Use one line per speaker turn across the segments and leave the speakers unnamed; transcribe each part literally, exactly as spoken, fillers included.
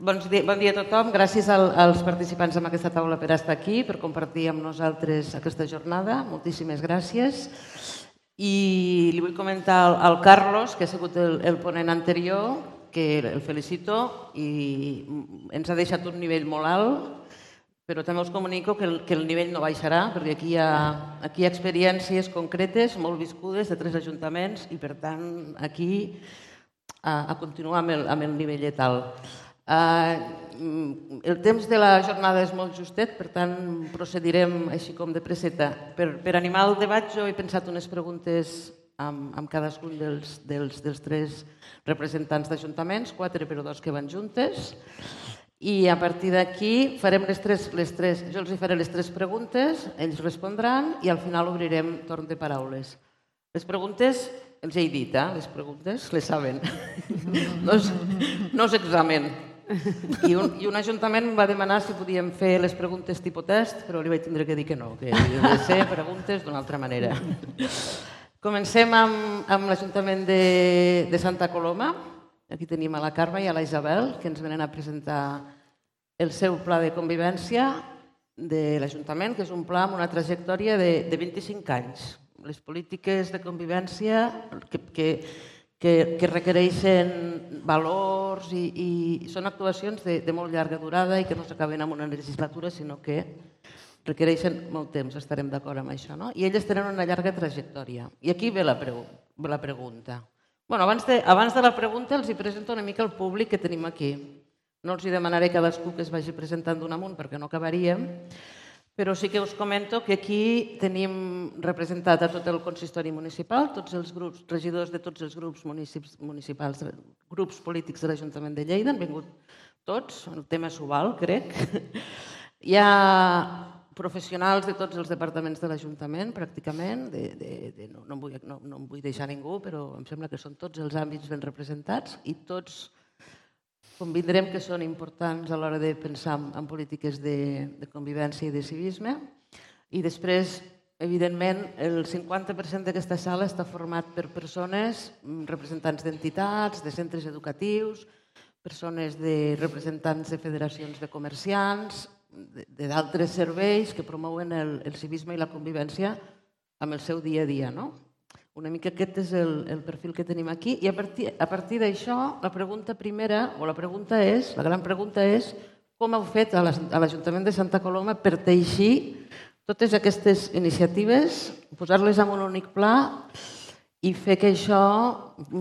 Bon dia, bon dia a tothom. Gràcies als participants en aquesta taula per estar aquí, per compartir amb nosaltres aquesta jornada. Moltíssimes gràcies. I li vull comentar al Carlos, que ha sigut el ponent anterior, que el felicito i ens ha deixat un nivell molt alt, però també us comunico que el nivell no baixarà, perquè aquí hi ha experiències concretes, molt viscudes, de tres ajuntaments, i per tant aquí a continuar amb el nivellet alt. El temps de la jornada és molt justet, per tant procedirem així com de presseta. Per animar el debat jo he pensat unes preguntes amb cadascun dels tres representants d'ajuntaments, quatre però dos que van juntes, i a partir d'aquí farem les tres, jo els faré les tres preguntes, ells respondran i al final obrirem torn de paraules. Les preguntes, els he dit, les preguntes les saben, no és examen. I un ajuntament em va demanar si podíem fer les preguntes tipus test, però li vaig tindre que dir que no, que havien de ser preguntes d'una altra manera. Comencem amb l'Ajuntament de Santa Coloma. Aquí tenim a la Carme i a la Isabel, que ens venen a presentar el seu pla de convivència de l'Ajuntament, que és un pla amb una trajectòria de vint-i-cinc anys. Les polítiques de convivència que requereixen valors i són actuacions de molt llarga durada i que no s'acaben en una legislatura, sinó que requereixen molt temps, estarem d'acord amb això. I elles tenen una llarga trajectòria. I aquí ve la pregunta. Abans de la pregunta els presento una mica el públic que tenim aquí. No els demanaré a cadascú que es vagi presentant d'un amunt perquè no acabaríem, però sí que us comento que aquí tenim representat a tot el consistori municipal, tots els grups, regidors de tots els grups municipals, grups polítics de l'Ajuntament de Lleida, han vingut tots, el tema s'ho val, crec. Hi ha professionals de tots els departaments de l'Ajuntament, pràcticament, no em vull deixar ningú, però em sembla que són tots els àmbits ben representats i tots convindrem que són importants a l'hora de pensar en polítiques de convivència i de civisme. I després, evidentment, el cinquanta per cent d'aquesta sala està format per persones, representants d'entitats, de centres educatius, persones de representants de federacions de comerciants, d'altres serveis que promouen el civisme i la convivència amb el seu dia a dia. Una mica aquest és el perfil que tenim aquí i a partir d'això la pregunta primera, o la pregunta és, la gran pregunta és com heu fet a l'Ajuntament de Santa Coloma per teixir totes aquestes iniciatives, posar-les en un únic pla i fer que això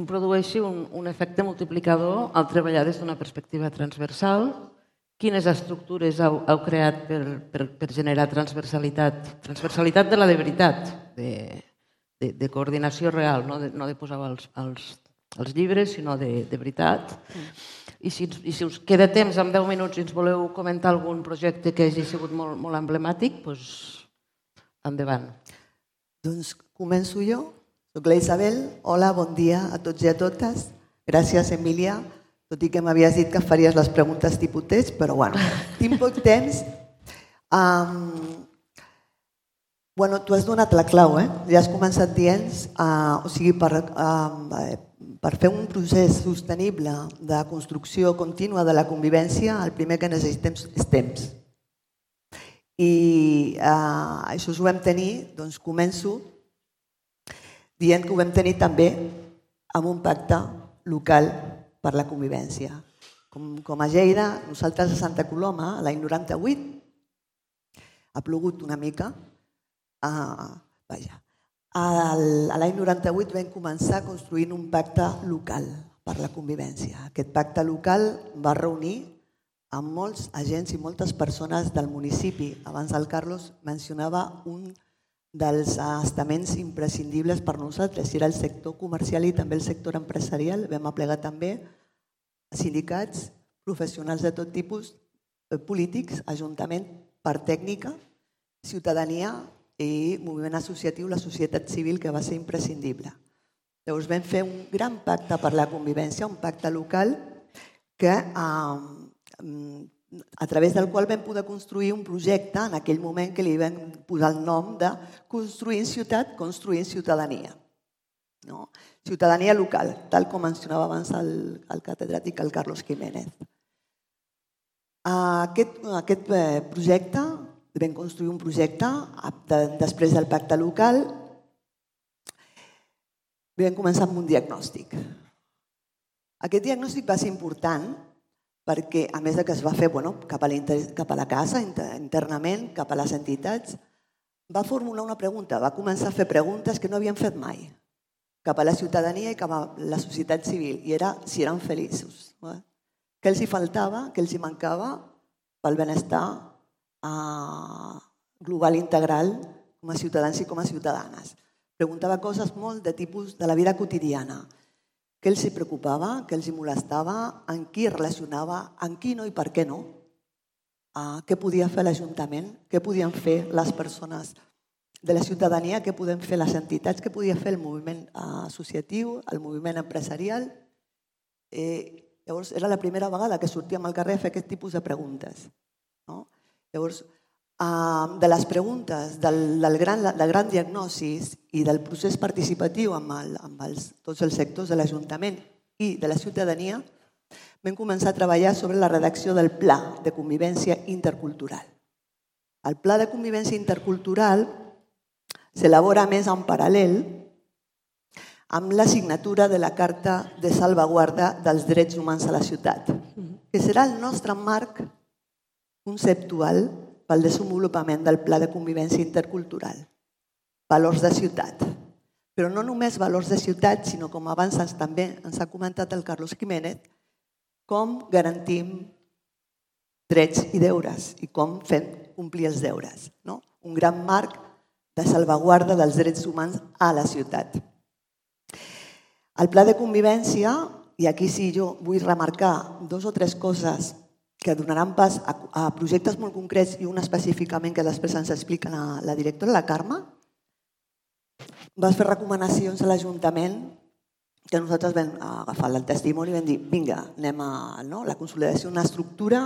produeixi un efecte multiplicador al treballar des d'una perspectiva transversal. Quines estructures heu creat per generar transversalitat? Transversalitat de la de veritat, de coordinació real, no de posar els llibres, sinó de veritat. I si us queda temps, en deu minuts, i ens voleu comentar algun projecte que hagi sigut molt emblemàtic, doncs endavant.
Doncs començo jo. Soc la Isabel. Hola, bon dia a tots i a totes. Gràcies, Emília, tot i que m'havies dit que faries les preguntes tipus test, però bueno, tinc poc temps. Bueno, tu has donat la clau, eh? Ja has començat dient, o sigui, per fer un procés sostenible de construcció contínua de la convivència, el primer que necessitem és temps. I això ho vam tenir, doncs començo dient que ho vam tenir també amb un pacte local per la convivència. Com a Lleida, nosaltres a Santa Coloma, l'any noranta-vuit, ha plogut una mica. L'any noranta-vuit vam començar construint un pacte local per la convivència. Aquest pacte local va reunir amb molts agents i moltes persones del municipi. Abans el Carlos mencionava un dels estaments imprescindibles per nosaltres, era el sector comercial i també el sector empresarial. Vam aplegar també sindicats, professionals de tot tipus, polítics, ajuntament, part tècnica, ciutadania i moviment associatiu, la societat civil, que va ser imprescindible. Llavors vam fer un gran pacte per la convivència, un pacte local que a través del qual vam poder construir un projecte en aquell moment que li vam posar el nom de Construint ciutat, construint ciutadania. Ciutadania local, tal com mencionava abans el catedràtic, el Carlos Jiménez. Aquest, aquest projecte, vam construir un projecte de, després del pacte local, vam començar amb un diagnòstic. Aquest diagnòstic va ser important perquè, a més de que es va fer bueno, cap, a la, cap a la casa, internament, cap a les entitats, va formular una pregunta, va començar a fer preguntes que no havien fet mai, cap a la ciutadania i cap a la societat civil, i era si eren feliços. Què els hi faltava, què els hi mancava pel benestar global integral com a ciutadans i com a ciutadanes. Preguntava coses molt de tipus de la vida quotidiana. Què els hi preocupava, què els hi molestava, en qui relacionava, en qui no i per què no. Què podia fer l'Ajuntament, què podien fer les persones de la ciutadania, què podem fer les entitats, què podia fer el moviment associatiu, el moviment empresarial. Llavors, era la primera vegada que sortíem al carrer a fer aquest tipus de preguntes. Llavors, de les preguntes, del gran diagnosi i del procés participatiu amb tots els sectors de l'Ajuntament i de la ciutadania, vam començar a treballar sobre la redacció del Pla de Convivència Intercultural. El Pla de Convivència Intercultural s'elabora més en paral·lel amb la signatura de la Carta de Salvaguarda dels Drets Humans a la Ciutat, que serà el nostre marc conceptual pel desenvolupament del Pla de Convivència Intercultural. Valors de ciutat. Però no només valors de ciutat, sinó com abans també ens ha comentat el Carlos Jiménez, com garantim drets i deures i com fem complir els deures. Un gran marc de salvaguarda dels drets humans a la ciutat. El Pla de Convivència, i aquí sí jo vull remarcar dos o tres coses que donaran pas a projectes molt concrets i un específicament que després ens explica la directora, la Carme, va fer recomanacions a l'Ajuntament que nosaltres vam agafar el testimoni i vam dir vinga, anem a la consolidació d'una estructura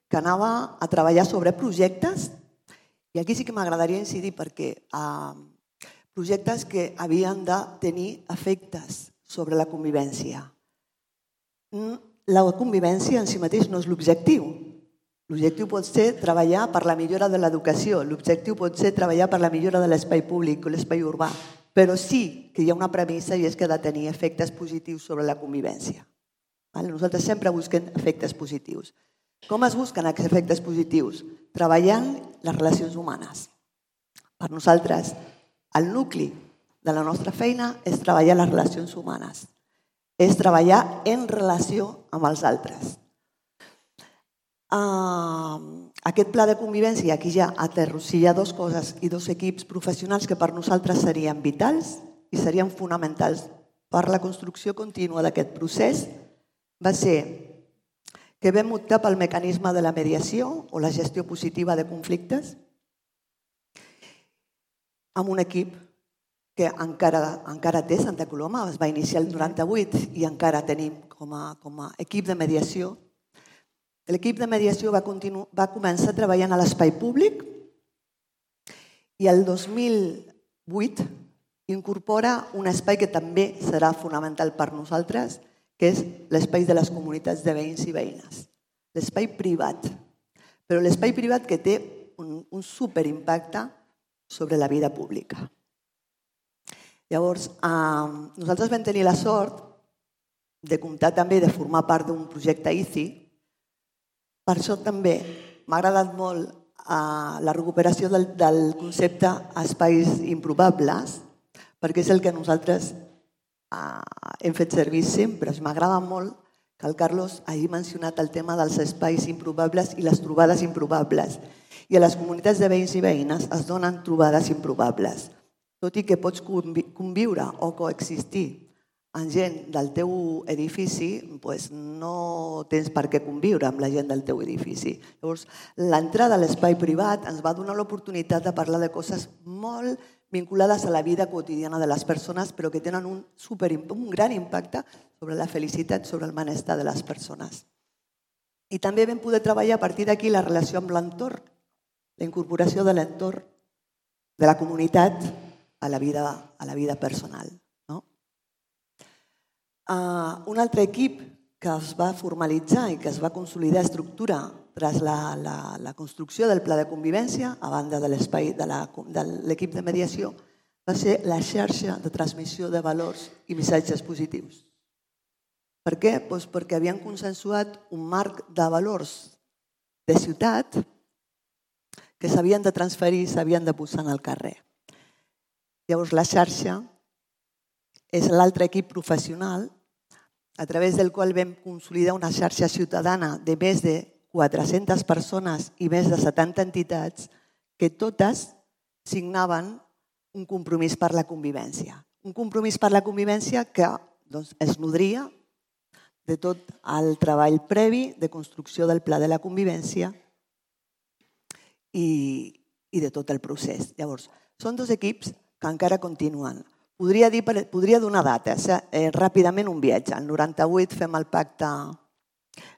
que anava a treballar sobre projectes, i aquí sí que m'agradaria incidir perquè projectes que havien de tenir efectes sobre la convivència. La convivència en si mateix no és l'objectiu. L'objectiu pot ser treballar per la millora de l'educació, l'objectiu pot ser treballar per la millora de l'espai públic o l'espai urbà, però sí que hi ha una premissa i és que ha de tenir efectes positius sobre la convivència. Nosaltres sempre busquem efectes positius. Com es busquen aquests efectes positius? Treballant les relacions humanes. Per nosaltres, el nucli de la nostra feina és treballar les relacions humanes. És treballar en relació amb els altres. Aquest pla de convivència, i aquí ja aterrossilla dues coses i dos equips professionals que per nosaltres serien vitals i serien fonamentals per la construcció contínua d'aquest procés, va ser que vam optar pel mecanisme de la mediació o la gestió positiva de conflictes amb un equip que encara té Santa Coloma, es va iniciar el noranta-vuit i encara tenim com a equip de mediació. L'equip de mediació va començar treballant a l'espai públic i el dos mil vuit incorpora un espai que també serà fonamental per nosaltres, que és l'espai de les comunitats de veïns i veïnes. L'espai privat, però l'espai privat que té un superimpacte sobre la vida pública. Llavors, nosaltres vam tenir la sort de comptar també, de formar part d'un projecte I C I. Per això també m'ha agradat molt la recuperació del concepte espais improbables, perquè és el que nosaltres hem fet servir sempre. M'agrada molt que el Carlos hagi mencionat el tema dels espais improbables i les trobades improbables. I a les comunitats de veïns i veïnes es donen trobades improbables. Tot i que pots conviure o coexistir amb gent del teu edifici, no tens per què conviure amb la gent del teu edifici. Llavors, l'entrada a l'espai privat ens va donar l'oportunitat de parlar de coses molt vinculades a la vida quotidiana de les persones, però que tenen un gran impacte sobre la felicitat, sobre el benestar de les persones. I també vam poder treballar a partir d'aquí la relació amb l'entorn, la incorporació de l'entorn, de la comunitat, a la vida personal. Un altre equip que es va formalitzar i que es va consolidar estructura tras la, la, la construcció del pla de convivència, a banda de l'espai de l'equip de mediació, va ser la xarxa de transmissió de valors i missatges positius. Per què? Doncs perquè havien consensuat un marc de valors de ciutat que s'havien de transferir i s'havien de posar en el carrer. Llavors, la xarxa és l'altre equip professional a través del qual vam consolidar una xarxa ciutadana de més de quatre-centes persones i més de setanta entitats que totes signaven un compromís per la convivència. Un compromís per la convivència que doncs, es nodria de tot el treball previ de construcció del pla de la convivència i, i de tot el procés. Llavors, són dos equips que encara continuen. Podria, dir, podria donar dates, eh? Ràpidament un viatge. El noranta-vuit fem el pacte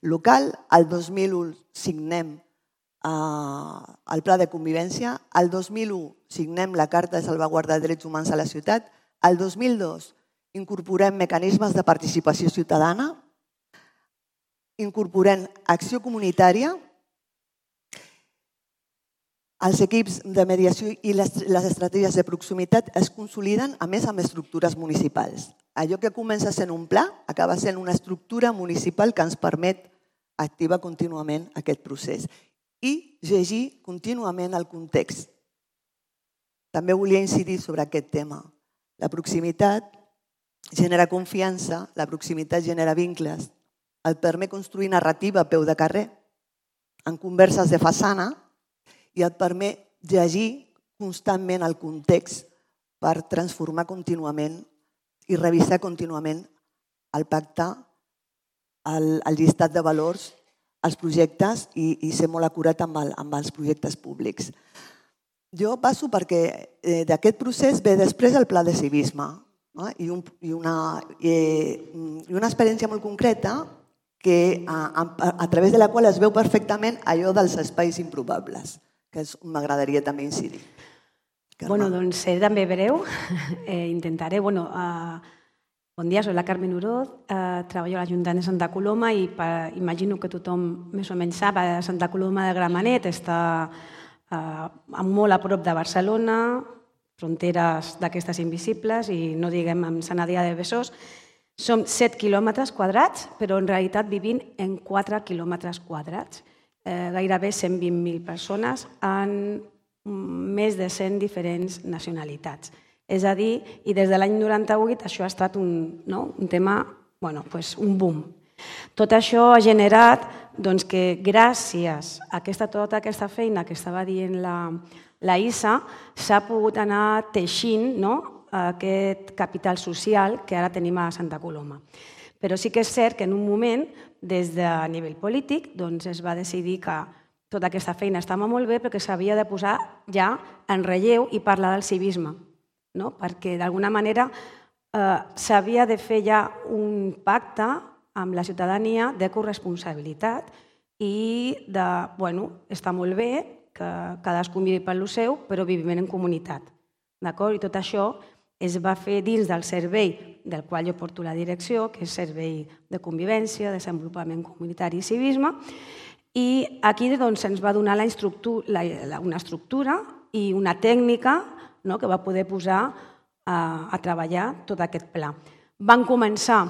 local, el dos mil u signem eh, el pla de convivència, el dos mil u signem la Carta de Salvaguarda de Drets Humans a la Ciutat, el dos mil dos incorporem mecanismes de participació ciutadana, incorporem acció comunitària, els equips de mediació i les, les estratègies de proximitat es consoliden a més amb estructures municipals. Allò que comença sent un pla acaba sent una estructura municipal que ens permet activar contínuament aquest procés i llegir contínuament el context. També volia incidir sobre aquest tema. La proximitat genera confiança, la proximitat genera vincles, et permet construir narrativa a peu de carrer, en converses de façana, i et permet llegir constantment el context per transformar contínuament i revisar contínuament el pacte, el, el llistat de valors, els projectes i, i ser molt acurat amb, el, amb els projectes públics. Jo passo perquè eh, d'aquest procés ve després el pla de civisme, no? I, un, i, una, eh, i una experiència molt concreta que, a, a, a través de la qual es veu perfectament allò dels espais improbables, que m'agradaria també incidir.
Bueno, doncs seré també breu. Eh, intentaré. Bueno, eh, bon dia, soc la Carmen Oroz, eh, treballo a l'Ajuntament de Santa Coloma i per, imagino que tothom més o menys sap, a Santa Coloma de Gramenet està eh, molt a prop de Barcelona, fronteres d'aquestes invisibles i no diguem amb Sant Adrià de Besòs. Som set quilòmetres quadrats, però en realitat vivim en quatre quilòmetres quadrats. Eh, gairebé cent vint mil persones en més de cent diferents nacionalitats. És a dir, i des de l'any noranta-vuit això ha estat un, no? un tema, bueno, pues un boom. Tot això ha generat doncs, que gràcies a aquesta, tota aquesta feina que estava dient la, la Isa s'ha pogut anar teixint, no? Aquest capital social que ara tenim a Santa Coloma. Però sí que és cert que en un moment, des de nivell polític, doncs es va decidir que tota aquesta feina estava molt bé, però que s'havia de posar ja en relleu i parlar del civisme, no? Perquè d'alguna manera eh, s'havia de fer ja un pacte amb la ciutadania de corresponsabilitat i de, bueno, està molt bé que cadascú miri per lo seu, però vivim en comunitat, d'acord? I tot això es va fer dins del servei del qual jo porto la direcció, que és Servei de Convivència, Desenvolupament Comunitari i Civisme, i aquí doncs, ens va donar la la, la, una estructura i una tècnica, no?, que va poder posar a, a treballar tot aquest pla. Van començar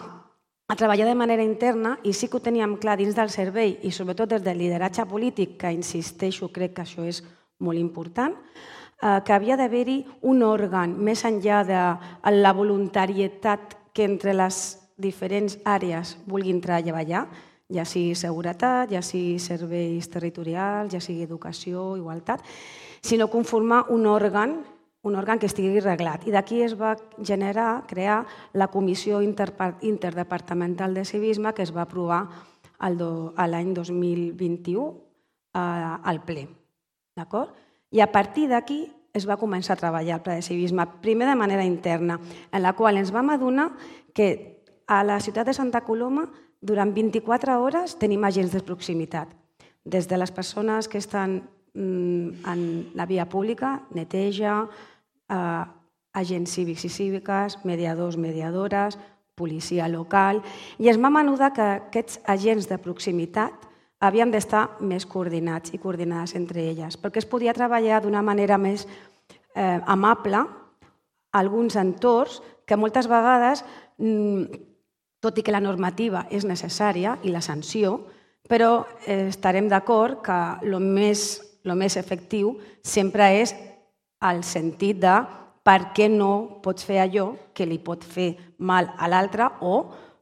a treballar de manera interna i sí que ho teníem clar dins del servei i sobretot des del lideratge polític, que insisteixo, crec que això és molt important, que havia d'haver-hi un òrgan més enllà de la voluntarietat que entre les diferents àrees vulguin treballar, ja sigui seguretat, ja sigui serveis territorials, ja sigui educació, igualtat, sinó conformar un òrgan, un òrgan que estigui reglat. I d'aquí es va generar, crear la Comissió Interdepartamental de Civisme que es va aprovar l'any dos mil vint-i-u al ple. D'acord? I a partir d'aquí es va començar a treballar el pla de civisme, primer de manera interna, en la qual ens vam adonar que a la ciutat de Santa Coloma durant vint-i-quatre hores tenim agents de proximitat, des de les persones que estan en la via pública, neteja, agents cívics i cíviques, mediadors, mediadores, policia local, i es va menudar que aquests agents de proximitat havien d'estar més coordinats i coordinades entre elles, perquè es podia treballar d'una manera més eh, amable alguns entorns que moltes vegades, tot i que la normativa és necessària i la sanció, però eh, estarem d'acord que el més, el més efectiu sempre és el sentit de per què no pots fer allò que li pot fer mal a l'altre o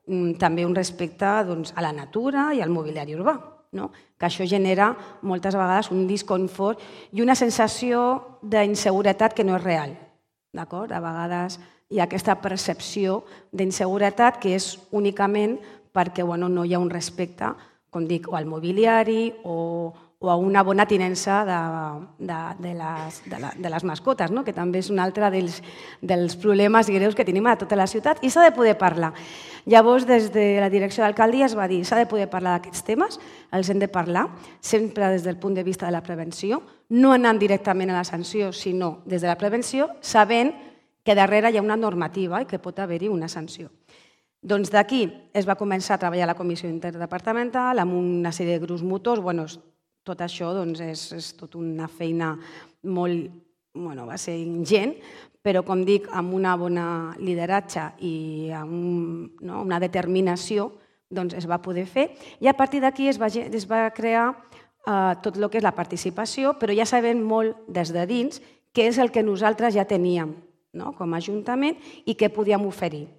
mm, també un respecte doncs, a la natura i al mobiliari urbà. No? Que això genera moltes vegades un disconfort i una sensació d'inseguretat que no és real. D'acord? A vegades hi ha aquesta percepció d'inseguretat que és únicament perquè bueno, no hi ha un respecte, com dic, o al mobiliari o, o a una bona tinença de, de, de, les, de, la, de les mascotes, no? Que també és un altre dels, dels problemes greus que tenim a tota la ciutat i s'ha de poder parlar. Llavors, des de la direcció d'alcaldia es va dir s'ha de poder parlar d'aquests temes, els hem de parlar, sempre des del punt de vista de la prevenció, no anant directament a la sanció, sinó des de la prevenció, sabent que darrere hi ha una normativa i que pot haver-hi una sanció. Doncs d'aquí es va començar a treballar la comissió interdepartamental amb una sèrie de grups motors. Bueno, tot això doncs, és, és tot una feina molt, bueno, va ser ingent, però com dic, amb una bona lideratge i amb no, una determinació doncs, es va poder fer. I a partir d'aquí es, va, es va crear eh, tot el que és la participació, però ja sabem molt des de dins què és el que nosaltres ja teníem no, com a Ajuntament i què podíem oferir.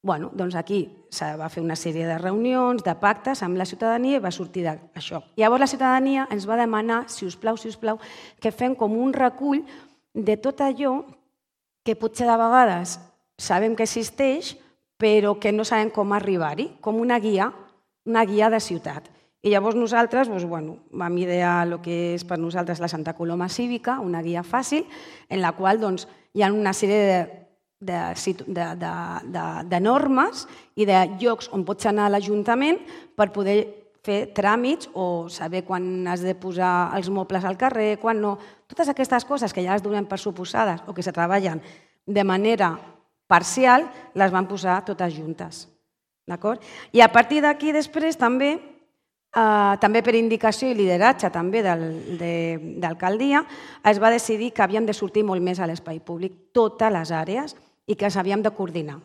Bueno, doncs aquí se va fer una sèrie de reunions, de pactes amb la ciutadania i va sortir d'això. Llavors la ciutadania ens va demanar, si us plau, si us plau, que fem com un recull de tot allò que potser de vegades sabem que existeix, però que no sabem com arribar-hi, com una guia, una guia de ciutat. I llavors nosaltres doncs, bueno, vam idear el que és per nosaltres la Santa Coloma Cívica, una guia fàcil, en la qual doncs, hi ha una sèrie de De, de, de, de, de normes i de llocs on pots anar a l'Ajuntament per poder fer tràmits o saber quan has de posar els mobles al carrer, quan no. Totes aquestes coses que ja les donem per suposades o que se treballen de manera parcial, les van posar totes juntes. D'acord? I a partir d'aquí després també, eh, també per indicació i lideratge també d'alcaldia, es va decidir que havien de sortir molt més a l'espai públic totes les àrees i que s'havíem de coordinar.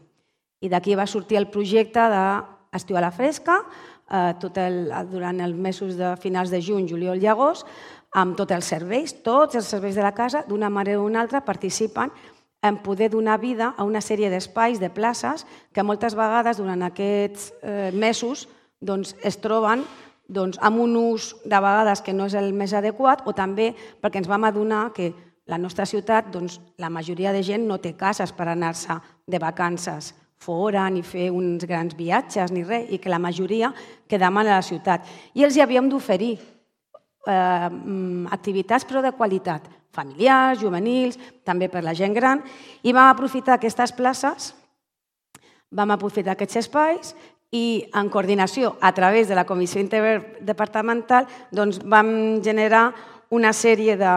I d'aquí va sortir el projecte d'Estiu a la Fresca, eh, tot el, durant els mesos de finals de juny, juliol i agost, amb tots els serveis, tots els serveis de la casa, d'una manera o una altra, participen en poder donar vida a una sèrie d'espais, de places, que moltes vegades durant aquests eh, mesos doncs, es troben doncs, amb un ús de vegades que no és el més adequat o també perquè ens vam adonar que la nostra ciutat, doncs, la majoria de gent no té cases per anar-se de vacances fora ni fer uns grans viatges ni res, i que la majoria quedam a la ciutat. I els hi havíem d'oferir eh, activitats però de qualitat, familiars, juvenils, també per la gent gran, i vam aprofitar aquestes places, vam aprofitar aquests espais i en coordinació a través de la comissió interdepartamental doncs, vam generar una sèrie de,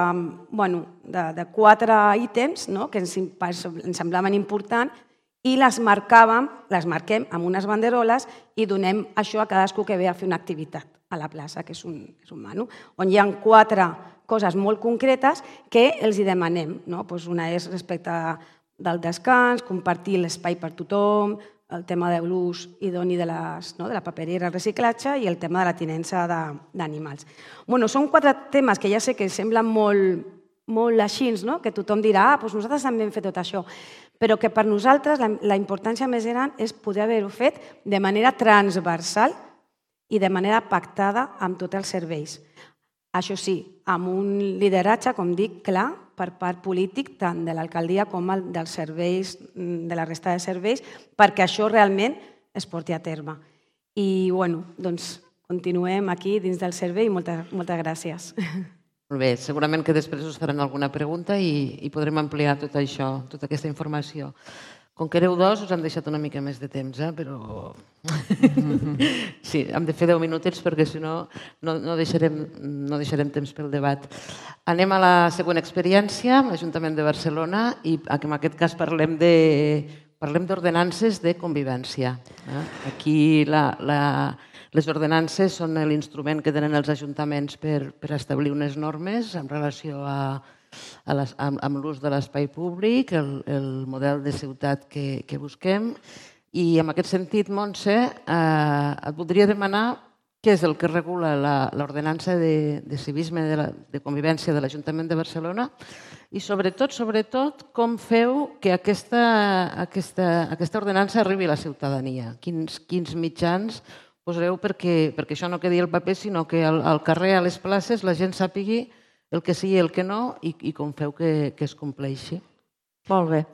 bueno, de, de quatre ítems no? que ens, ens semblaven importants i les marcàvem, les marquem amb unes banderoles i donem això a cadascú que ve a fer una activitat a la plaça, que és un, és un manu, on hi ha quatre coses molt concretes que els hi demanem. No? Pues una és respecte del descans, compartir l'espai per tothom, el tema de l'ús idoni de, les, no, de la paperera, el reciclatge i el tema de la tinença d'animals. Bueno, són quatre temes que ja sé que semblen molt, molt així, no? Que tothom dirà, ah, doncs nosaltres també hem fet tot això, però que per nosaltres la, la importància més gran és poder haver-ho fet de manera transversal i de manera pactada amb tots els serveis. Això sí, amb un lideratge, com dic, clar, per part polític, tant de l'alcaldia com dels serveis, de la resta de serveis, perquè això realment es porti a terme. I, bueno, doncs, continuem aquí dins del servei i moltes, moltes gràcies.
Molt bé, segurament que després us faran alguna pregunta i, i podrem ampliar tot això, tota aquesta informació. Com que éreu dos, us han deixat una mica més de temps, eh? Però... Sí, hem de fer deu minutets perquè si no, no, no, deixarem, no deixarem temps pel debat. Anem a la següent experiència, l'Ajuntament de Barcelona, i en aquest cas parlem de parlem d'ordenances de convivència. Aquí les ordenances són l'instrument que tenen els ajuntaments per establir unes normes en relació amb l'ús de l'espai públic, el model de ciutat que busquem. I en aquest sentit, Montse, et voldria demanar què és el que regula l'ordenança de civisme de convivència de l'Ajuntament de Barcelona i sobretot, sobretot, com feu que aquesta ordenança arribi a la ciutadania. Quins mitjans posareu perquè això no quedi al paper, sinó que al carrer, a les places, la gent sàpigui el que sí i el que no i com feu que es compleixi.
Molt bé.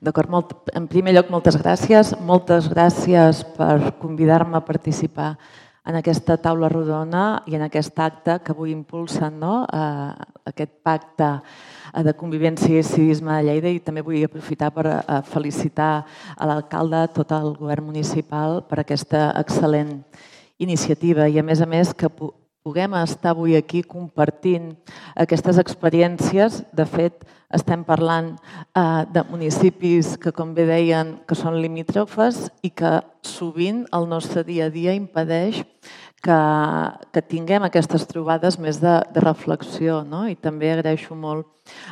D'acord. En primer lloc, moltes gràcies. Moltes gràcies per convidar-me a participar en aquesta taula rodona i en aquest acte que avui impulsen, aquest pacte de convivència i civisme de Lleida, i també vull aprofitar per felicitar a l'alcalde, tot el govern municipal, per aquesta excel·lent iniciativa i, a més a més, que puguem estar avui aquí compartint aquestes experiències. De fet, estem parlant de municipis que, com bé deien, que són limítrofes i que sovint el nostre dia a dia impedeix que tinguem aquestes trobades més de reflexió. I també agraeixo molt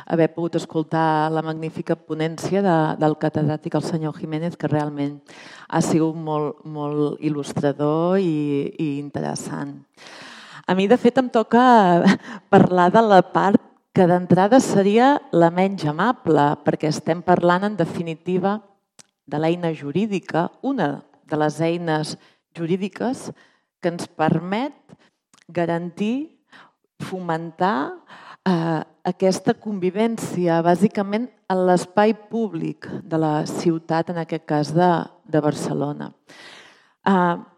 haver pogut escoltar la magnífica ponència del catedràtic, el senyor Jiménez, que realment ha sigut molt il·lustrador i interessant. A mi, de fet, em toca parlar de la part que d'entrada seria la menys amable, perquè estem parlant, en definitiva, de l'eina jurídica, una de les eines jurídiques que ens permet garantir, fomentar aquesta convivència, bàsicament, en l'espai públic de la ciutat, en aquest cas de Barcelona.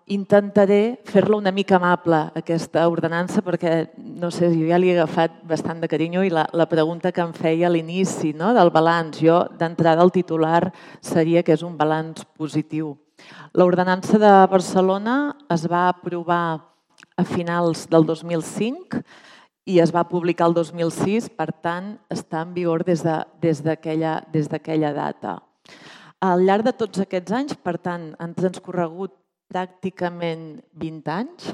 Intentaré fer-la una mica amable, aquesta ordenança, perquè, no sé, jo ja li he agafat bastant de carinyo i la pregunta que em feia a l'inici del balanç, jo d'entrada el titular seria que és un balanç positiu. L'ordenança de Barcelona es va aprovar a finals del dos mil cinc i es va publicar el dos mil sis, per tant, està en vigor des d'aquella data. Al llarg de tots aquests anys, per tant, han transcorregut pràcticament vint anys,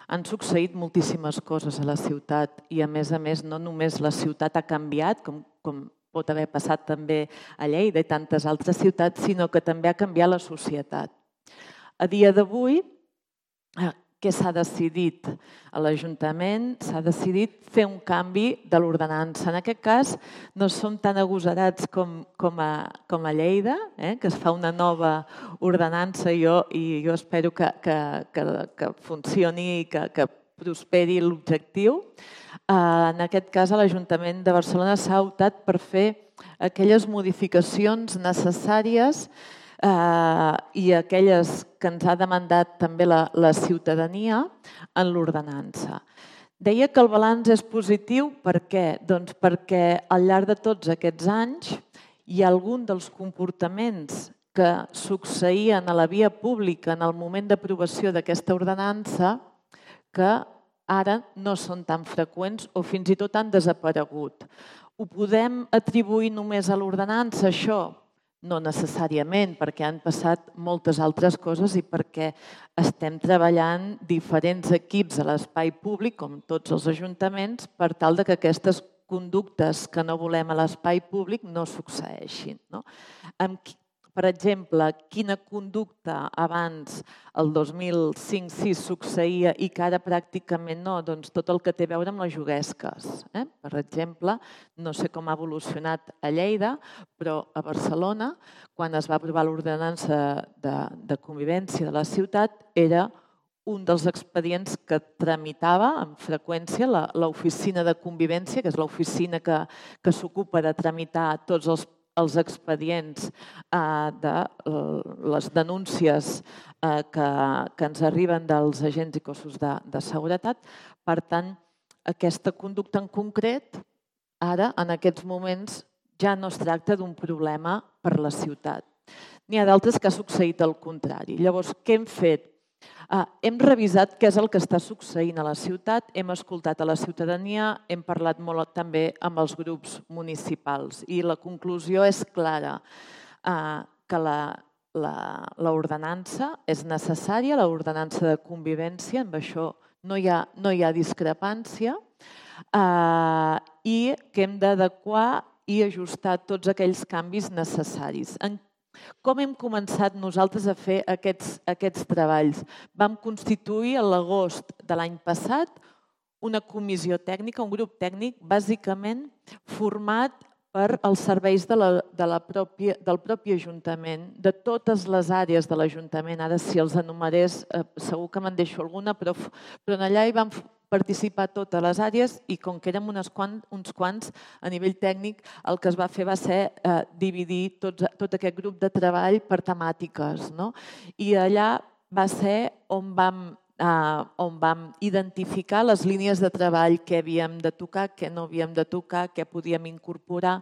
han succeït moltíssimes coses a la ciutat i, a més a més, no només la ciutat ha canviat, com pot haver passat també a Lleida i tantes altres ciutats, sinó que també ha canviat la societat. A dia d'avui, què s'ha decidit a l'Ajuntament? S'ha decidit fer un canvi de l'ordenança. En aquest cas, no som tan agosarats com a Lleida, que es fa una nova ordenança i jo espero que funcioni i que prosperi l'objectiu. En aquest cas, a l'Ajuntament de Barcelona s'ha optat per fer aquelles modificacions necessàries i aquelles que ens ha demandat també la ciutadania en l'ordenança. Deia que el balanç és positiu, per què? Doncs perquè al llarg de tots aquests anys hi ha algun dels comportaments que succeïen a la via pública en el moment d'aprovació d'aquesta ordenança que ara no són tan freqüents o fins i tot han desaparegut. Ho podem atribuir només a l'ordenança, això? No necessàriament, perquè han passat moltes altres coses i perquè estem treballant diferents equips a l'espai públic, com tots els ajuntaments, per tal que aquestes conductes que no volem a l'espai públic no succeeixin. Per exemple, quina conducta abans, el dos mil cinc sis, succeïa i que ara pràcticament no? Doncs tot el que té a veure amb les juguesques. Per exemple, no sé com ha evolucionat a Lleida, però a Barcelona, quan es va aprovar l'ordenança de convivència de la ciutat, era un dels expedients que tramitava amb freqüència l'oficina de convivència, que és l'oficina que s'ocupa de tramitar tots els els expedients de les denúncies que ens arriben dels agents i cossos de seguretat. Per tant, aquesta conducta en concret, ara, en aquests moments, ja no es tracta d'un problema per la ciutat. N'hi ha d'altres que ha succeït el contrari. Llavors, què hem fet? Hem revisat què és el que està succeint a la ciutat, hem escoltat a la ciutadania, hem parlat molt també amb els grups municipals i la conclusió és clara, que l'ordenança és necessària, l'ordenança de convivència, amb això no hi ha, no hi ha discrepància, eh, i que hem d'adequar i ajustar tots aquells canvis necessaris. En com hem començat nosaltres a fer aquests, aquests treballs? Vam constituir a l'agost de l'any passat una comissió tècnica, un grup tècnic, bàsicament format per als serveis de la, de la pròpia, del propi Ajuntament, de totes les àrees de l'Ajuntament. Ara, si els enumerés, eh, segur que me'n deixo alguna, però, però allà hi vam participar totes les àrees i com que érem unes quant, uns quants a nivell tècnic, el que es va fer va ser eh, dividir tot, tot aquest grup de treball per temàtiques. No? I allà va ser on vam, eh, on vam identificar les línies de treball que havíem de tocar, què no havíem de tocar, què podíem incorporar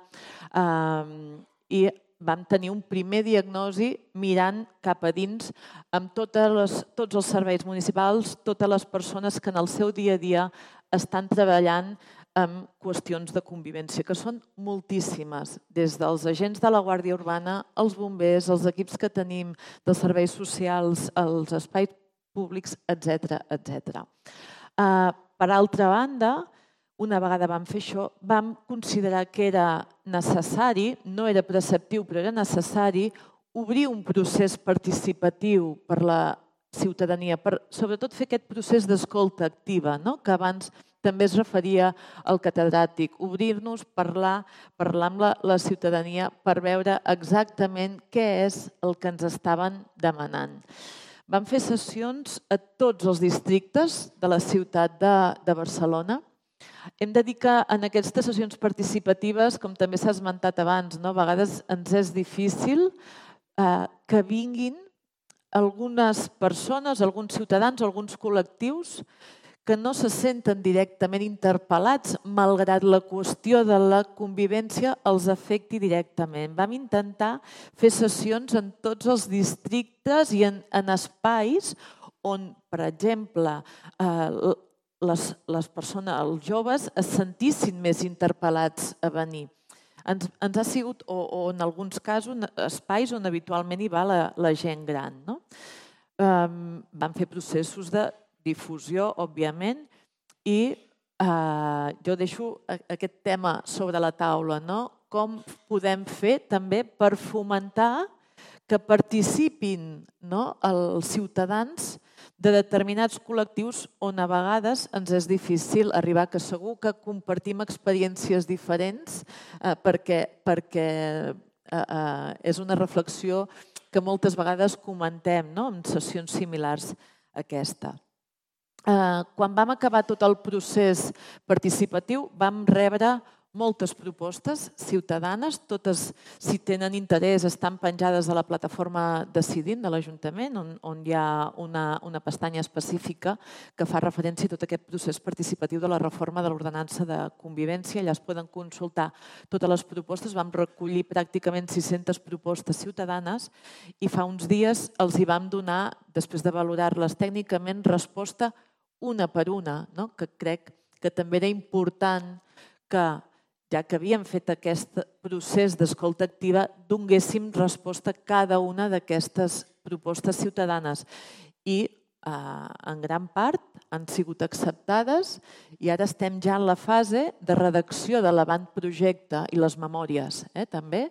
eh, i vam tenir un primer diagnosi mirant cap a dins amb totes les, tots els serveis municipals, totes les persones que en el seu dia a dia estan treballant en qüestions de convivència, que són moltíssimes, des dels agents de la Guàrdia Urbana, els bombers, els equips que tenim dels serveis socials, els espais públics, etcètera, etcètera. Uh, per altra banda, una vegada vam fer això, vam considerar que era necessari, no era preceptiu, però era necessari, obrir un procés participatiu per la ciutadania, per sobretot fer aquest procés d'escolta activa, no? Que abans també es referia al catedràtic, obrir-nos, parlar, parlar amb la, la ciutadania per veure exactament què és el que ens estaven demanant. Vam fer sessions a tots els districtes de la ciutat de, de Barcelona. Hem de dir que en aquestes sessions participatives, com també s'ha esmentat abans, no? A vegades ens és difícil eh, que vinguin algunes persones, alguns ciutadans, alguns col·lectius que no se senten directament interpel·lats, malgrat la qüestió de la convivència els afecti directament. Vam intentar fer sessions en tots els districtes i en, en espais on, per exemple, eh, Les, les persones, els joves, es sentissin més interpel·lats a venir. Ens, ens ha sigut, o, o en alguns casos, espais on habitualment hi va la, la gent gran. No? Um, vam fer processos de difusió, òbviament, i uh, jo deixo aquest tema sobre la taula. No? Com podem fer també per fomentar que participin, no? Els ciutadans de determinats col·lectius on a vegades ens és difícil arribar, que segur que compartim experiències diferents eh, perquè, perquè eh, eh, és una reflexió que moltes vegades comentem, no? En sessions similars a aquesta. Eh, quan vam acabar tot el procés participatiu vam rebre moltes propostes ciutadanes, totes, si tenen interès, estan penjades a la plataforma Decidint de l'Ajuntament, on, on hi ha una, una pestanya específica que fa referència a tot aquest procés participatiu de la reforma de l'ordenança de convivència. Allà es poden consultar totes les propostes. Vam recollir pràcticament sis-centes propostes ciutadanes i fa uns dies els hi vam donar, després de valorar-les tècnicament, resposta una per una, no? Que crec que també era important que, ja que havíem fet aquest procés d'escolta activa, donéssim resposta a cada una d'aquestes propostes ciutadanes. I eh, en gran part han sigut acceptades i ara estem ja en la fase de redacció de l'avantprojecte i les memòries, eh, també.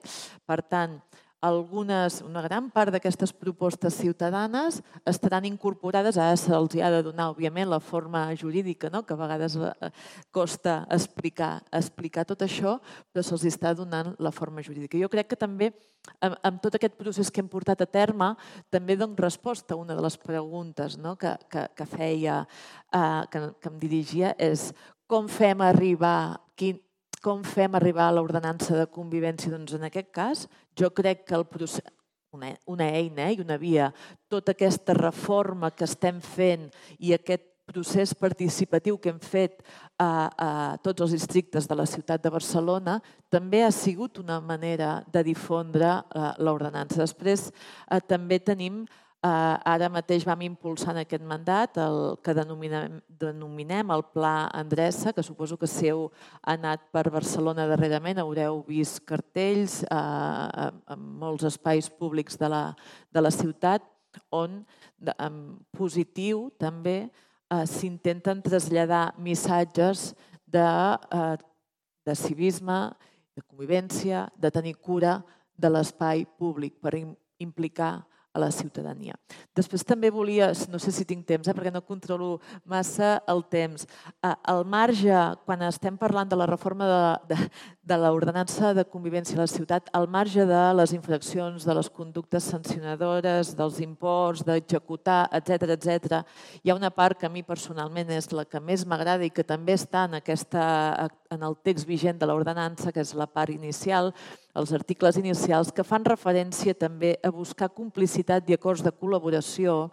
Per tant, algunes, una gran part d'aquestes propostes ciutadanes estaran incorporades, ara se'ls ha de donar, òbviament, la forma jurídica, no? Que a vegades costa explicar, explicar tot això, però se'ls està donant la forma jurídica. Jo crec que també, amb, amb tot aquest procés que hem portat a terme, també dono resposta a una de les preguntes, no? que, que, que feia, eh, que, que em dirigia, és com fem arribar, quin, com fem arribar a l'ordenança de convivència? Doncs en aquest cas, jo crec que el procés, una, una eina eh, i una via, tota aquesta reforma que estem fent i aquest procés participatiu que hem fet a, a tots els districtes de la ciutat de Barcelona també ha sigut una manera de difondre uh, l'ordenança. Després uh, també tenim Ara mateix vam impulsar en aquest mandat el que denominem el Pla Endreça, que suposo que si heu anat per Barcelona darrerament haureu vist cartells en molts espais públics de la ciutat on, en positiu també, s'intenten traslladar missatges de civisme, de convivència, de tenir cura de l'espai públic per implicar a la ciutadania. Després també volia, no sé si tinc temps, perquè no controlo massa el temps, al marge, quan estem parlant de la reforma de l'ordenança de convivència a la ciutat, al marge de les infraccions, de les conductes sancionadores, dels imports, d'executar, etcètera, etcètera, hi ha una part que a mi personalment és la que més m'agrada i que també està en el text vigent de l'ordenança, que és la part inicial, els articles inicials, que fan referència també a buscar complicitat i acords de col·laboració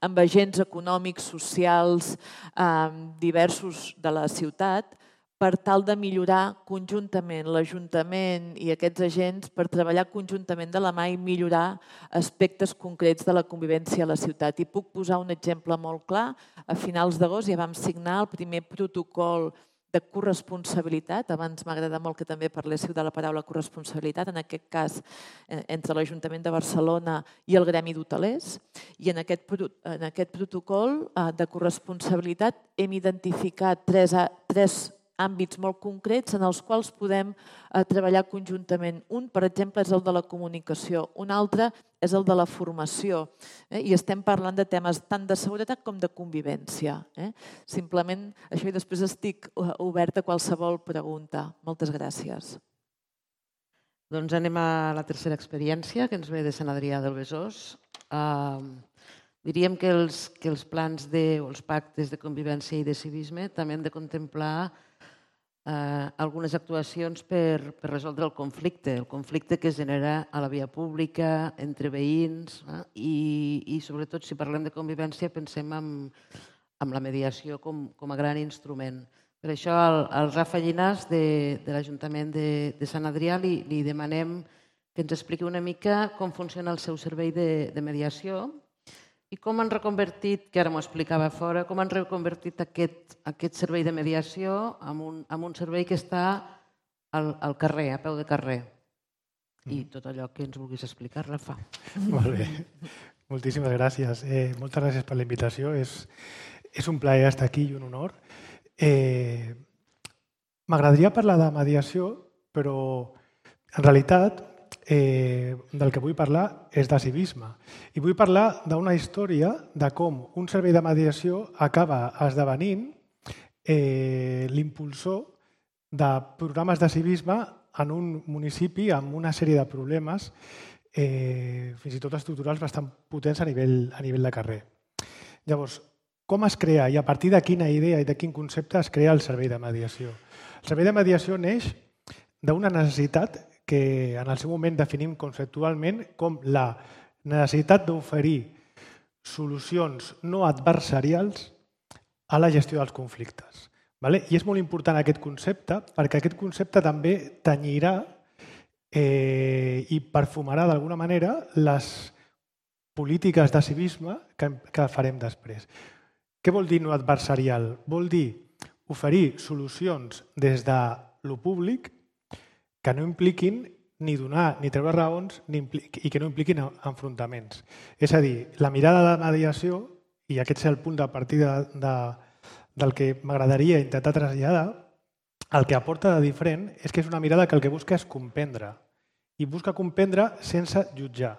amb agents econòmics, socials, diversos de la ciutat, per tal de millorar conjuntament l'Ajuntament i aquests agents per treballar conjuntament de la mà i millorar aspectes concrets de la convivència a la ciutat. I puc posar un exemple molt clar. A finals d'agost ja vam signar el primer protocol de corresponsabilitat. Abans m'agrada molt que també parléssiu de la paraula corresponsabilitat, en aquest cas entre l'Ajuntament de Barcelona i el Gremi d'Hotelers. I en aquest protocol de corresponsabilitat hem identificat tres àmbits molt concrets en els quals podem treballar conjuntament. Un, per exemple, és el de la comunicació. Un altre és el de la formació. I estem parlant de temes tant de seguretat com de convivència. Simplement això, i després estic oberta a qualsevol pregunta. Moltes gràcies.
Doncs anem a la tercera experiència, que ens ve de Sant Adrià del Besòs. Diríem que els plans o els pactes de convivència i de civisme també han de contemplar algunes actuacions per resoldre el conflicte, el conflicte que es genera a la via pública, entre veïns, i sobretot si parlem de convivència pensem en la mediació com a gran instrument. Per això al Rafa Llinàs de l'Ajuntament de Sant Adrià li demanem que ens expliqui una mica com funciona el seu servei de mediació i com han reconvertit, que ara m'ho explicava fora, com han reconvertit aquest servei de mediació en un servei que està al carrer, a peu de carrer. I tot allò que ens vulguis explicar, Rafa.
Molt bé. Moltíssimes gràcies. Moltes gràcies per la invitació. És un plaer estar aquí i un honor. M'agradaria parlar de mediació, però en realitat del que vull parlar és de civisme. I vull parlar d'una història de com un servei de mediació acaba esdevenint l'impulsor de programes de civisme en un municipi amb una sèrie de problemes, fins i tot estructurals, bastant potents a nivell de carrer. Llavors, com es crea i a partir de quina idea i de quin concepte es crea el servei de mediació? El servei de mediació neix d'una necessitat que en el seu moment definim conceptualment com la necessitat d'oferir solucions no adversarials a la gestió dels conflictes. I és molt important aquest concepte perquè aquest concepte també tenyirà i perfumarà d'alguna manera les polítiques de civisme que farem després. Què vol dir no adversarial? Vol dir oferir solucions des de lo públic que no impliquin ni donar ni treure raons i que no impliquin enfrontaments. És a dir, la mirada de mediació, i aquest és el punt de partida del que m'agradaria intentar traslladar, el que aporta de diferent és que és una mirada que el que busca és comprendre. I busca comprendre sense jutjar.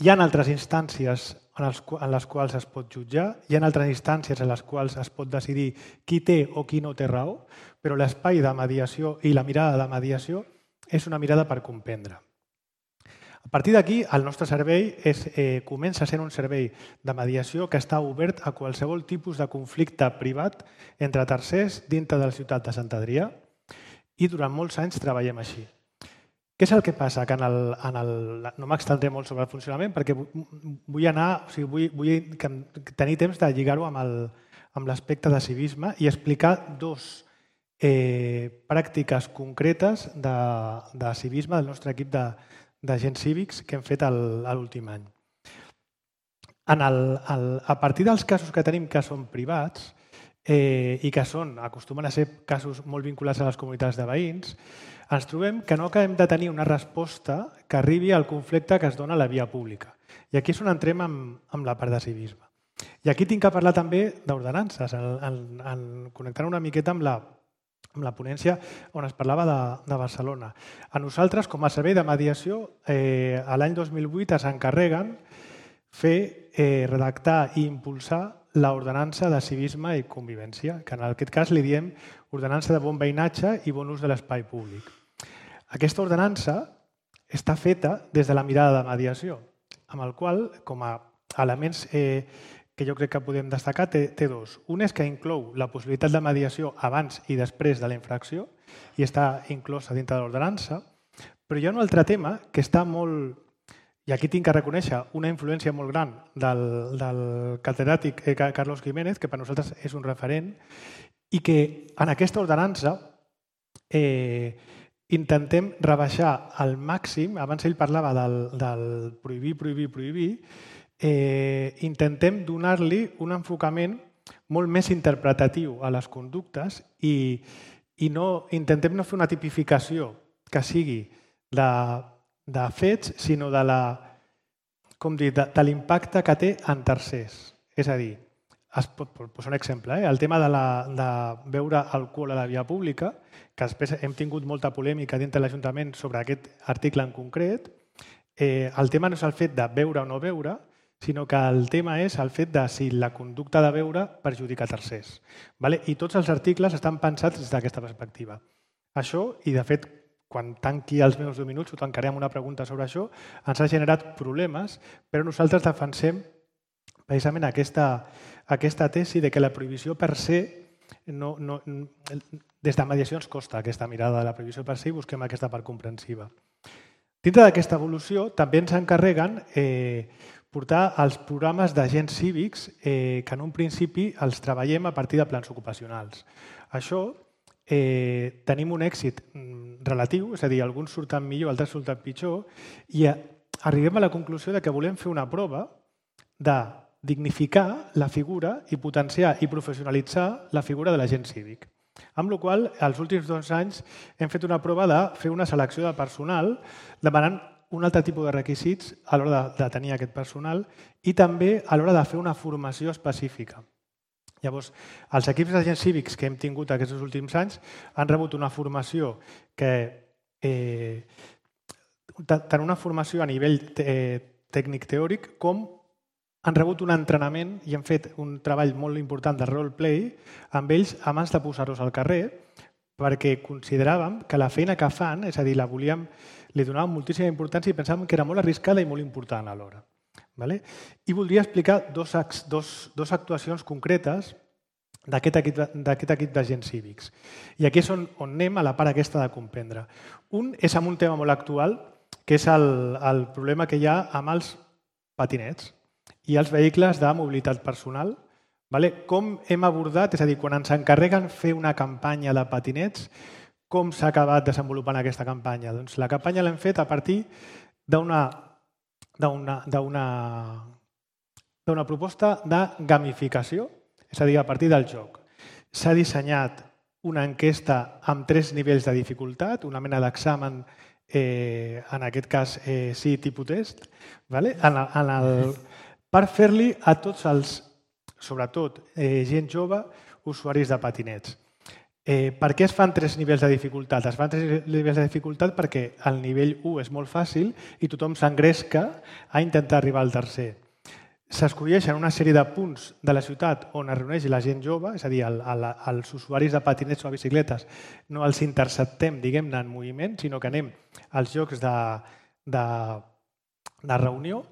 Hi ha altres instàncies en les quals es pot jutjar, hi ha altres instàncies en les quals es pot decidir qui té o qui no té raó, però l'espai de mediació i la mirada de mediació és una mirada per comprendre. A partir d'aquí, el nostre servei comença sent un servei de mediació que està obert a qualsevol tipus de conflicte privat entre tercers dintre de la ciutat de Sant Adrià i durant molts anys treballem així. Què és el que passa? Que en el, no m'extendré molt sobre el funcionament perquè vull anar, o sigui, vull tenir temps de lligar-ho amb l'aspecte de civisme i explicar dos pràctiques concretes de civisme del nostre equip d'agents cívics que hem fet l'últim any. en el, el, a partir dels casos que tenim que són privats eh, i que són, acostumen a ser casos molt vinculats a les comunitats de veïns, ens trobem que no acabem de tenir una resposta que arribi al conflicte que es dona a la via pública. I aquí és on entrem amb, amb la part de civisme. I aquí tinc que parlar també d'ordenances, en, en, en connectant una miqueta amb la, amb la ponència on es parlava de, de Barcelona. A nosaltres, com a servei de mediació, eh, a l'any dos mil vuit es encarreguen fer, eh, redactar i impulsar l'ordenança de civisme i convivència, que en aquest cas li diem ordenança de bon veïnatge i bon ús de l'espai públic. Aquesta ordenança està feta des de la mirada de mediació, amb el qual, com a elements eh, que jo crec que podem destacar, té, té dos. Un és que inclou la possibilitat de mediació abans i després de la infracció i està inclosa dintre de l'ordenança, però hi ha un altre tema que està molt... I aquí tinc que reconèixer una influència molt gran del, del catedràtic Carlos Jiménez, que per nosaltres és un referent, i que en aquesta ordenança eh, intentem rebaixar al màxim, abans ell parlava del, del prohibir, prohibir, prohibir, eh, intentem donar-li un enfocament molt més interpretatiu a les conductes i, i no, intentem no fer una tipificació que sigui de, de fets, sinó de la, com dir, de, de l'impacte que té en tercers. És a dir, es pot posar un exemple, eh? El tema de, la, de beure alcohol a la via pública, que després hem tingut molta polèmica dintre de l'Ajuntament sobre aquest article en concret. Eh, el tema no és el fet de beure o no beure, sinó que el tema és el fet de si la conducta de beure perjudica tercers. Vale? I tots els articles estan pensats des d'aquesta perspectiva. Això, i de fet, quan tanqui els meus deu minuts, ho tancaré amb una pregunta sobre això, ens ha generat problemes, però nosaltres defensem precisament aquesta, aquesta tesi de que la prohibició per se, no, no, des de mediació ens costa aquesta mirada de la prohibició per se i busquem aquesta part comprensiva. Dintre d'aquesta evolució també ens encarreguen eh, portar els programes d'agents cívics eh, que en un principi els treballem a partir de plans ocupacionals. Això eh, tenim un èxit relatiu, és a dir, alguns surten millor, altres surten pitjor, i arribem a la conclusió de que volem fer una prova de dignificar la figura i potenciar i professionalitzar la figura de l'agent cívic. Amb la qual cosa, els últims dos anys hem fet una prova de fer una selecció de personal demanant un altre tipus de requisits a l'hora de, de tenir aquest personal i també a l'hora de fer una formació específica. Llavors, els equips d'agents cívics que hem tingut aquests últims anys han rebut una formació que eh, tant una formació a nivell eh, tècnic-teòric com han rebut un entrenament i han fet un treball molt important de roleplay amb ells abans de posar-los al carrer perquè consideràvem que la feina que fan, és a dir, la volíem, li donàvem moltíssima importància i pensàvem que era molt arriscada i molt important alhora. Vale? I voldria explicar dos, dos, dos actuacions concretes d'aquest equip, d'aquest equip d'agents cívics. I aquí és on, on anem a la part aquesta de comprendre. Un és amb un tema molt actual, que és el, el problema que hi ha amb els patinets i els vehicles de mobilitat personal. Vale? Com hem abordat, és a dir, quan ens encarreguen fer una campanya de patinets, com s'ha acabat desenvolupant aquesta campanya? Doncs la campanya l'hem fet a partir d'una d'una proposta de gamificació, és a dir, a partir del joc. S'ha dissenyat una enquesta amb tres nivells de dificultat, una mena d'examen, eh, en aquest cas eh, sí, tipus test, vale? en el, en el, per fer-li a tots els, sobretot eh, gent jove, usuaris de patinets. Eh, per què es fan tres nivells de dificultat? Es fan tres nivells de dificultat perquè el nivell u és molt fàcil i tothom s'engresca a intentar arribar al tercer. S'escolleixen una sèrie de punts de la ciutat on es reuneix la gent jove, és a dir, el, el, els usuaris de patinets o de bicicletes, no els interceptem, diguem-ne, en moviment, sinó que anem als llocs de, de, de reunió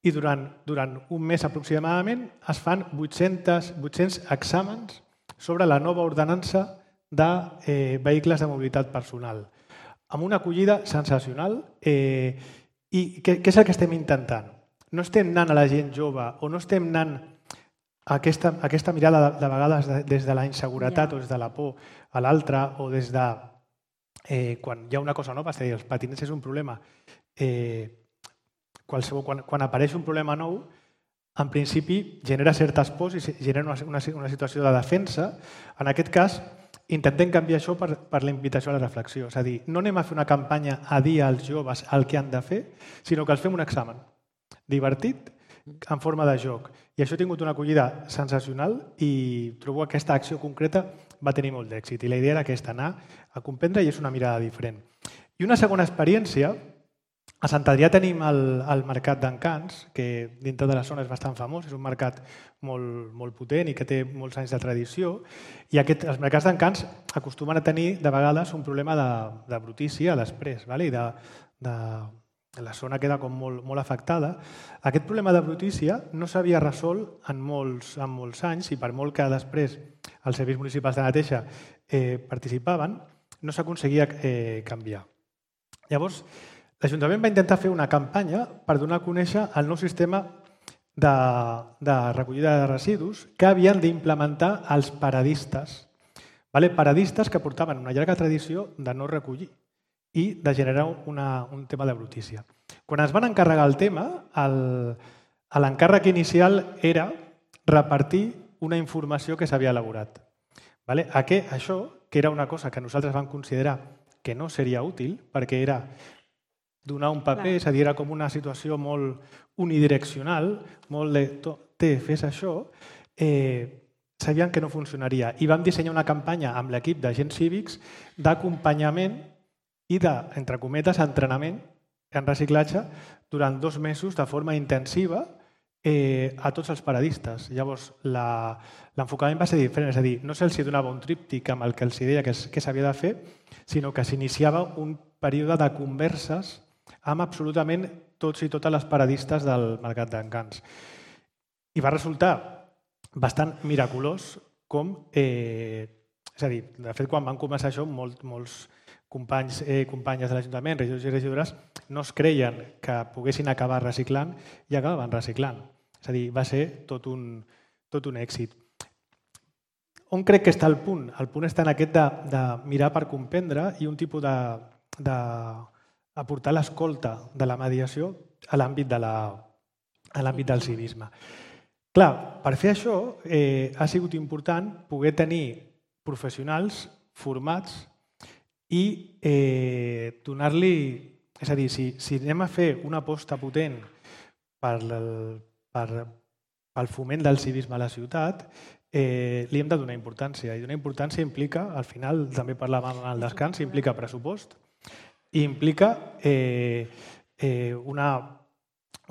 i durant, durant un mes aproximadament es fan vuit-cents, vuit-cents exàmens sobre la nova ordenança de eh, vehicles de mobilitat personal, amb una acollida sensacional. Eh, I què, què és el que estem intentant? No estem anant a la gent jove o no estem anant a aquesta, a aquesta mirada de, de vegades de, des de la inseguretat yeah. o des de la por a l'altre o des de eh, quan hi ha una cosa nova, és a dir, els patinets és un problema. Eh, qualsevol, quan, quan apareix un problema nou, en principi genera certes pors i genera una, una, una situació de defensa. En aquest cas, intentem canviar això per, per la invitació a la reflexió. És a dir, no anem a fer una campanya a dir als joves el que han de fer, sinó que els fem un examen divertit, en forma de joc. I això ha tingut una acollida sensacional i trobo que aquesta acció concreta va tenir molt d'èxit. I la idea era aquesta, anar a comprendre, i és una mirada diferent. I una segona experiència, a Sant Adrià tenim el, el Mercat d'Encants, que dintre de la zona és bastant famós, és un mercat molt, molt potent i que té molts anys de tradició, i aquest, els mercats d'Encants acostumen a tenir de vegades un problema de, de brutícia a després, vale? I de, de, la zona queda com molt, molt afectada. Aquest problema de brutícia no s'havia resolt en molts, en molts anys i per molt que després els serveis municipals de neteja eh, participaven, no s'aconseguia eh, canviar. Llavors, l'Ajuntament va intentar fer una campanya per donar a conèixer el nou sistema de, de recollida de residus que havien d'implementar els paradistes. Vale? Paradistes que portaven una llarga tradició de no recollir i de generar una, un tema de brutícia. Quan es van encarregar el tema, l'encàrrec inicial era repartir una informació que s'havia elaborat. Vale? Aquest, això, que era una cosa que nosaltres vam considerar que no seria útil, perquè era donar un paper, és a dir, era com una situació molt unidireccional, molt de, té, fes això, eh, sabien que no funcionaria. I vam dissenyar una campanya amb l'equip d'agents cívics d'acompanyament i de, entre cometes, entrenament en reciclatge durant dos mesos de forma intensiva eh, a tots els paradistes. Llavors, l'enfocament va ser diferent, és a dir, no se'ls donava un tríptic amb el que els deia que, que s'havia de fer, sinó que s'iniciava un període de converses amb absolutament tots i totes les paradistes del Mercat d'Encants. I va resultar bastant miraculós com... Eh, és a dir, de fet, quan van començar això, molt, molts companys i eh, companyes de l'Ajuntament, regidors i regidores, no es creien que poguessin acabar reciclant i acabaven reciclant. És a dir, va ser tot un, tot un èxit. On crec que està el punt? El punt està en aquest de, de mirar per comprendre i un tipus de, de aportar l'escolta de la mediació a l'àmbit de la, a l'àmbit del civisme. Clar, per fer això eh, ha sigut important poder tenir professionals formats i eh, donar-li... És a dir, si, si anem a fer una aposta potent per el, per, pel foment del civisme a la ciutat, eh, li hem de donar importància. I donar importància implica, al final, també parlàvem al descans, implica pressupost i implica eh, eh, una,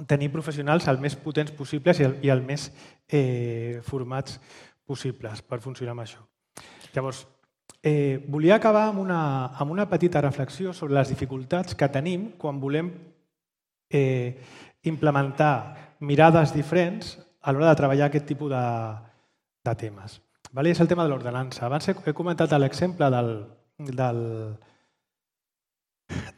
tenir professionals el més potents possibles i el, i el més eh, formats possibles per funcionar amb això. Llavors, eh, volia acabar amb una, amb una petita reflexió sobre les dificultats que tenim quan volem eh, implementar mirades diferents a l'hora de treballar aquest tipus de, de temes. Vale? És el tema de l'ordenança. Abans he, he comentat l'exemple del, del,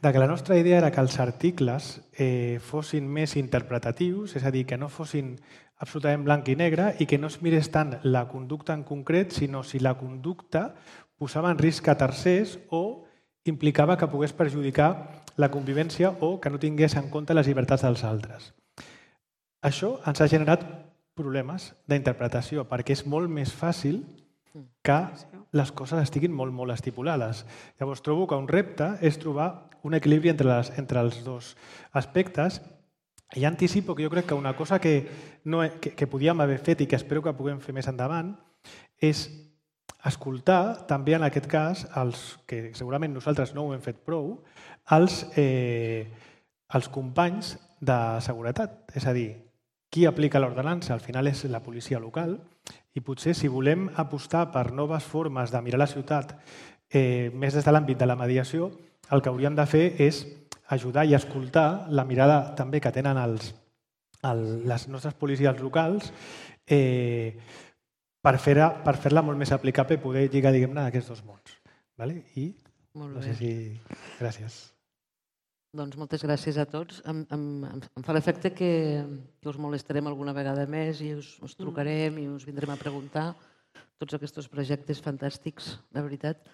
de que la nostra idea era que els articles eh, fossin més interpretatius, és a dir, que no fossin absolutament blanc i negre i que no es mirés tant la conducta en concret, sinó si la conducta posava en risc a tercers o implicava que pogués perjudicar la convivència o que no tingués en compte les llibertats dels altres. Això ens ha generat problemes d'interpretació perquè és molt més fàcil que les coses estiguin molt, molt estipulades. Llavors, trobo que un repte és trobar un equilibri entre, les, entre els dos aspectes. I anticipo que jo crec que una cosa que, no, que, que podíem haver fet i que espero que puguem fer més endavant és escoltar també en aquest cas, els, que segurament nosaltres no ho hem fet prou, els, eh, els companys de seguretat. És a dir, qui aplica l'ordenança al final és la policia local i potser si volem apostar per noves formes de mirar la ciutat eh, més des de l'àmbit de la mediació, el que hauríem de fer és ajudar i escoltar la mirada també que tenen els, el, les nostres policies locals eh, per fer-la per fer-la molt més aplicable i poder lligar, diguem-ne, aquests dos mons. Vale? I no sé si... Gràcies.
Doncs moltes gràcies a tots. Em, em, em fa l'efecte que, que us molestarem alguna vegada més i us, us trucarem i us vindrem a preguntar tots aquests projectes fantàstics, la veritat.